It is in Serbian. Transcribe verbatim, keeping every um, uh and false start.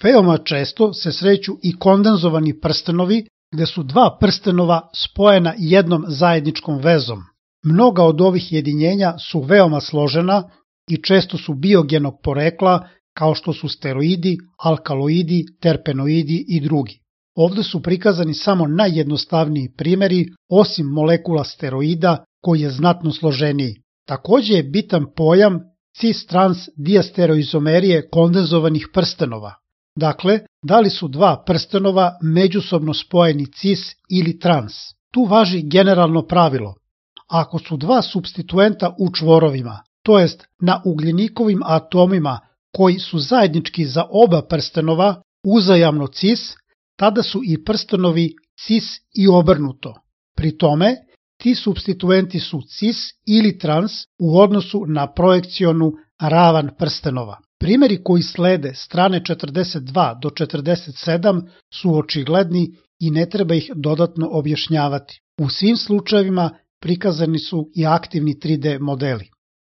Veoma često se sreću i kondenzovani prstenovi gde su dva prstenova spojena jednom zajedničkom vezom. Mnoga od ovih jedinjenja su veoma složena i često su biogenog porekla kao što su steroidi, alkaloidi, terpenoidi i drugi. Ovde su prikazani samo najjednostavniji primeri, osim molekula steroida koji je znatno složeniji. Takođe je bitan pojam cis-trans diastereoizomerije kondenzovanih prstenova. Dakle, da li su dva prstenova međusobno spojeni cis ili trans. Tu važi generalno pravilo. Ako su dva supstituenta u čvorovima, to jest na ugljenikovim atomima koji su zajednički za oba prstenova uzajamno cis, tada su i prstenovi cis i obrnuto. Pri tome, ti supstituenti su cis ili trans u odnosu na projekcionu ravan prstenova. Primeri koji slede strane četrdeset dva do četrdeset sedam su očigledni i ne treba ih dodatno objašnjavati. U svim slučajevima prikazani su i aktivni tri D modeli.